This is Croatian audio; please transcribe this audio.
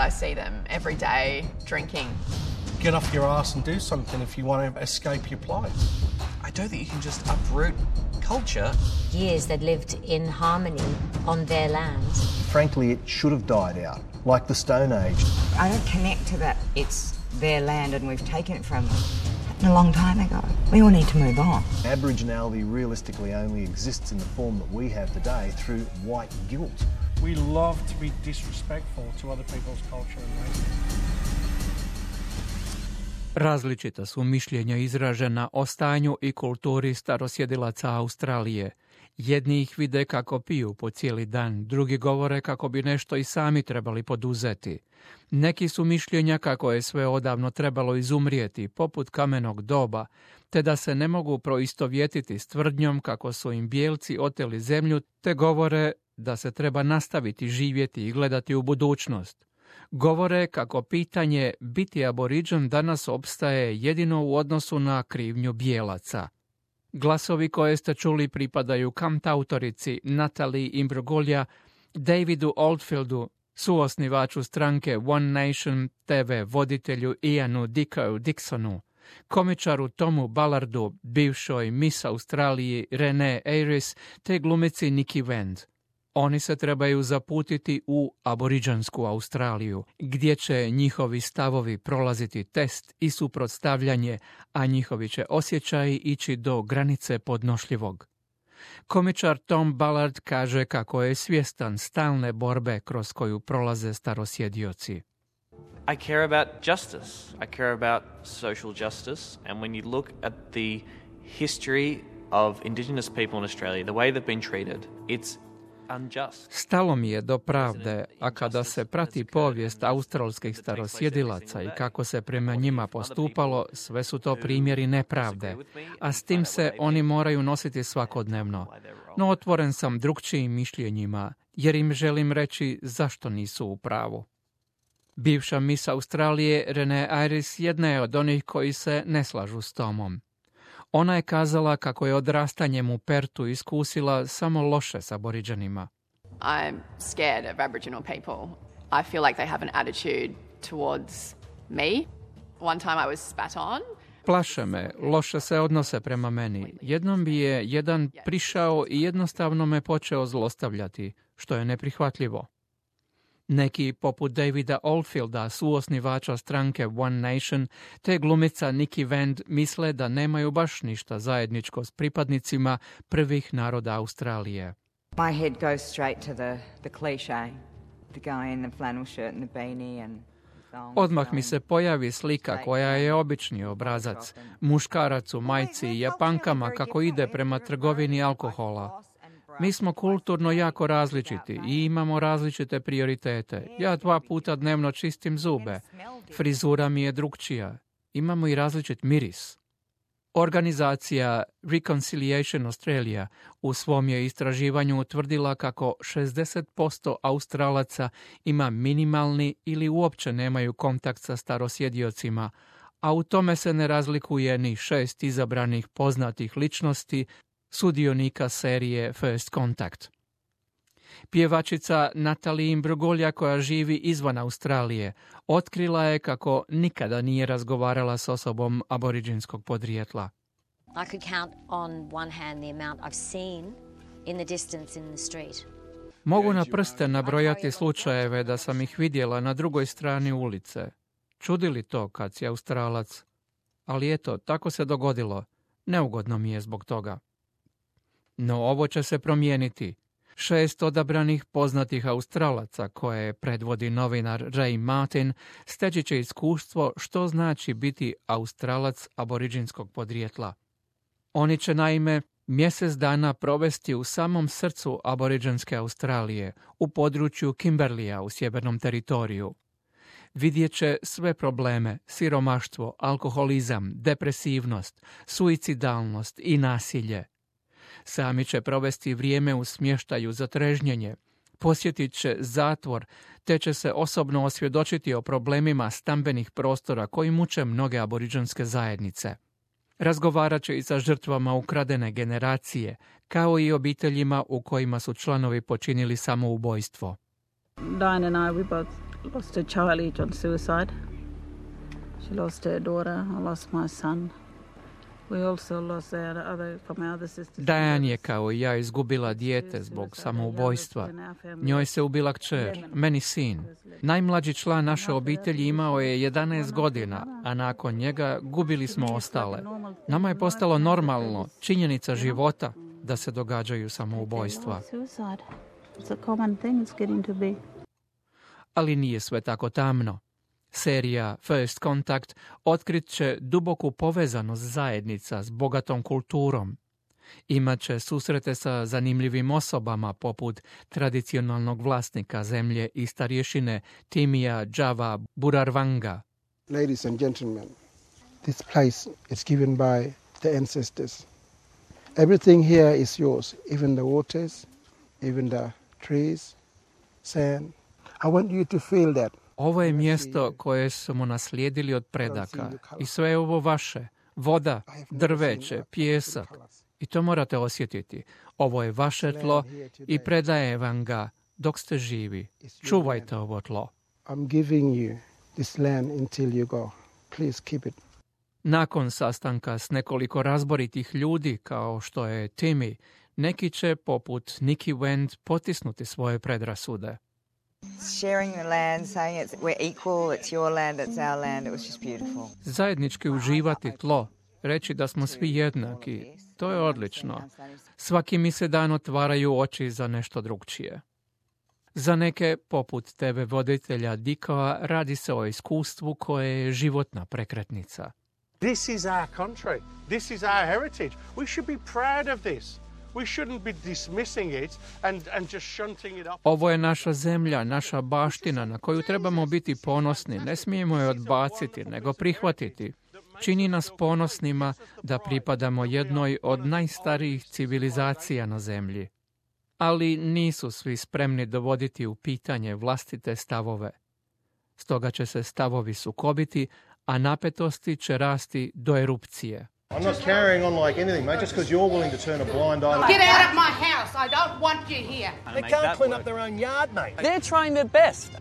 I see them every day drinking. Get off your ass and do something if you want to escape your plight. I don't think you can just uproot culture. Years they'd lived in harmony on their land. Frankly, it should have died out, like the Stone Age. I don't connect to that it's their land and we've taken it from them. A long time ago. We all need to move on. Aboriginality realistically only exists in the form that we have today through white guilt. We love to be disrespectful to other people's culture and race. Različita su mišljenja izražena o stanju i kulturi starosjedilaca Australije. Jedni ih vide kako piju po cijeli dan, drugi govore kako bi nešto i sami trebali poduzeti. Neki su mišljenja kako je sve odavno trebalo izumrijeti, poput kamenog doba, te da se ne mogu proistovjetiti s tvrdnjom kako su im bijelci oteli zemlju, te govore da se treba nastaviti živjeti i gledati u budućnost. Govore kako pitanje biti aboriđan danas opstaje jedino u odnosu na krivnju bijelaca. Glasovi koje ste čuli pripadaju kantautorici Natalie Imbruglia, Davidu Oldfieldu, suosnivaču stranke One Nation, TV voditelju Ianu Dickow-Dixonu, komičaru Tomu Ballardu, bivšoj Miss Australiji Renee Ayres te glumici Nikki Wend. Oni se trebaju zaputiti u aboriđansku Australiju, gdje će njihovi stavovi prolaziti test i suprotstavljanje, a njihovi će osjećaji ići do granice podnošljivog. Komičar Tom Ballard kaže kako je svjestan stalne borbe kroz koju prolaze starosjedioci. I care about justice. I care about social justice. And when you look at the history of Indigenous people in Australia, the way they've been treated, it's unjust. Stalo mi je do pravde, a kada se prati povijest australskih starosjedilaca i kako se prema njima postupalo, sve su to primjeri nepravde, a s tim se oni moraju nositi svakodnevno. No otvoren sam drukčijim mišljenjima, jer im želim reći zašto nisu u pravu. Bivša Miss Australije Renee Ayres jedna je od onih koji se ne slažu s Tomom. Ona je kazala kako je odrastanjem u Pertu iskusila samo loše s aboriđanima. I'm scared of Aboriginal people. I feel like they have an attitude towards me. One time I was spat on. Plaše me, loše se odnose prema meni. Jednom bi je jedan prišao i jednostavno me počeo zlostavljati, što je neprihvatljivo. Neki, poput Davida Oldfielda, suosnivača stranke One Nation, te glumica Nikki Wend misle da nemaju baš ništa zajedničko s pripadnicima prvih naroda Australije. My head goes straight to the cliché. The guy in the flannel shirt and the beanie and Odmah mi se pojavi slika koja je obični obrazac. Muškarac u majci i japankama kako ide prema trgovini alkohola. Mi smo kulturno jako različiti i imamo različite prioritete. Ja 2 puta dnevno čistim zube. Frizura mi je drukčija. Imamo i različit miris. Organizacija Reconciliation Australia u svom je istraživanju utvrdila kako 60% Australaca ima minimalni ili uopće nemaju kontakt sa starosjediocima, a u tome se ne razlikuje ni 6 izabranih poznatih ličnosti sudionika serije First Contact. Pjevačica Natalie Imbruglia, koja živi izvan Australije, otkrila je kako nikada nije razgovarala s osobom aboriđinskog podrijetla. I could count on one hand the amount I've seen in the distance in the street. Mogu na prste nabrojati slučajeve da sam ih vidjela na drugoj strani ulice. Čudi li to kad si Australac? Ali eto, tako se dogodilo. Neugodno mi je zbog toga. No ovo će se promijeniti. 6 odabranih poznatih Australaca, koje predvodi novinar Ray Martin, steći će iskustvo što znači biti Australac aboriđinskog podrijetla. Oni će naime mjesec dana provesti u samom srcu aboriđanske Australije, u području Kimberleya u sjevernom teritoriju. Vidjet će sve probleme, siromaštvo, alkoholizam, depresivnost, suicidalnost i nasilje. Sami će provesti vrijeme u smještaju za trežnjenje, posjetit će zatvor, te će se osobno osvjedočiti o problemima stambenih prostora koji muče mnoge aboriđanske zajednice. Razgovarat će i sa žrtvama ukradene generacije, kao i obiteljima u kojima su članovi počinili samoubojstvo. Diane and I, we both lost a child each on suicide. She lost her daughter, I lost my son. We also lost from our other sisters. Diane je kao i ja izgubila dijete zbog samoubojstva. Njoj se ubila kćer, meni sin. Najmlađi član naše obitelji imao je 11 godina, a nakon njega gubili smo ostale. Nama je postalo normalno, činjenica života, da se događaju samoubojstva. Ali nije sve tako tamno. Serija First Contact otkrit će duboku povezanost zajednica s bogatom kulturom. Imaće susrete sa zanimljivim osobama poput tradicionalnog vlasnika zemlje i starješine Timija Java Burarvanga. Ladies and gentlemen, this place is given by the ancestors. Everything here is yours, even the waters, even the trees, sand. I want you to feel that. Ovo je mjesto koje smo naslijedili od predaka i sve je ovo vaše. Voda, drveće, pijesak. I to morate osjetiti. Ovo je vaše tlo i predaje vam ga dok ste živi. Čuvajte ovo tlo. I'm giving you this land until you go. Please keep it. Nakon sastanka s nekoliko razboritih ljudi kao što je Timmy, neki će poput Nikki Wendt potisnuti svoje predrasude. Sharing the land, saying we're equal, it's your land, it's our land, it was just beautiful. Zajednički uživati tlo, reći da smo svi jednaki, to je odlično. Svaki mi se dan otvaraju oči za nešto drugčije. Za neke, poput TV voditelja Dickoa, radi se o iskustvu koje je životna prekretnica. This is our country. This is our heritage. We should be proud of this. We shouldn't be dismissing it and just shunting it up. Ovo je naša zemlja, naša baština na koju trebamo biti ponosni. Ne smijemo je odbaciti, nego prihvatiti. Čini nas ponosnima da pripadamo jednoj od najstarijih civilizacija na zemlji. Ali nisu svi spremni dovoditi u pitanje vlastite stavove. Stoga će se stavovi sukobiti, a napetosti će rasti do erupcije. I'm not carrying on like anything, mate, just because you're willing to turn a blind eye. Get out of my house. I don't want you here. They can't clean up their own yard, mate. They're trying their best.